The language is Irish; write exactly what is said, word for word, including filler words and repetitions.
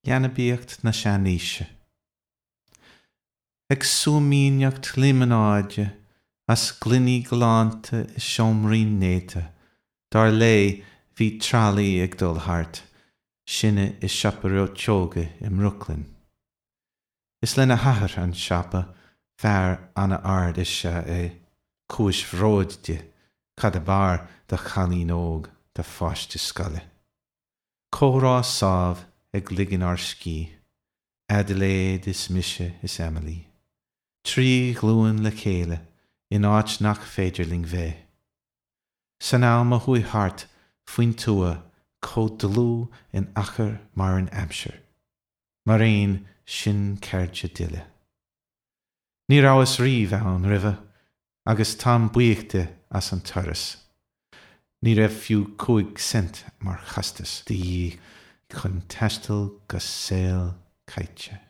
Leanbaíocht na seanaoise. Ag súimíneacht líomanáide as gloiní galánta i seomraí néata, dar léi bhí tralaí ag dul thart, sinne i siopa reoiteoga i mBrooklyn. Is lena hathair an siopa, fear an-ard is ea é, cúis bhróid di, cad ab fhearr do chailín óg, do pháiste scoile. Comhrá sámh ag ligean ár scíth, Adelaide is mise is Emily. Trí ghlúin le chéile in áit nach féidir linn bheith. San am a chuaigh thart faoin tuath chomh dlúth in achar mar an aimsir. Mar aon sin cairde dile. Ní rabhas riamh ann roimhe agus táim buíoch di as an turas. Ní raibh fiú cúig cent mar chostas de dhíth chun taisteal go saol caite.